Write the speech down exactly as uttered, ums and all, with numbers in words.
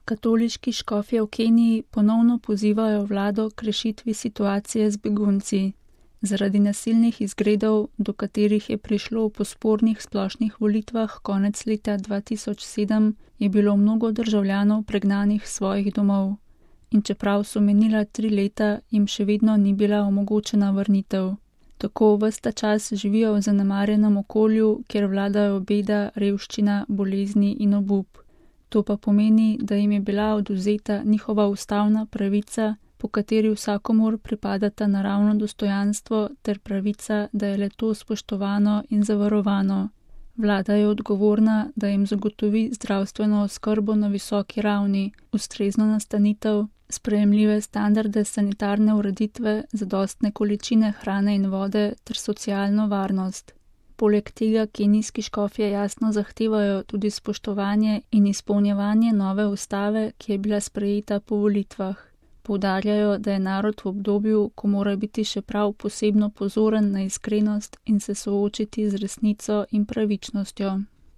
Katoliški škofje v Keniji ponovno pozivajo vlado k rešitvi situacije z begunci. Zaradi nasilnih izgredov, do katerih je prišlo po spornih splošnih volitvah konec leta dva tisoč sedem, je bilo mnogo državljanov pregnanih s svojih domov. In čeprav so menila tri leta, jim še vedno ni bila omogočena vrnitev. Tako ves ta čas živijo v zanemarjenem okolju, kjer vladajo beda, revščina, bolezni in obup. To pa pomeni, da jim je bila odvzeta njihova ustavna pravica, po kateri vsakomur pripadata naravno dostojanstvo ter pravica, da je le-to spoštovano in zavarovano. Vlada je odgovorna, da jim zagotovi zdravstveno oskrbo na visoki ravni, ustrezno nastanitev, sprejemljive standarde sanitarne ureditve, zadostne količine hrane in vode ter socialno varnost. Poleg tega kenijski škofje jasno zahtevajo tudi spoštovanje in izpolnjevanje nove ustave, ki je bila sprejeta po volitvah. Poudarjajo, da je narod v obdobju, ko mora biti še prav posebno pozoren na iskrenost in se soočiti z resnico in pravičnostjo.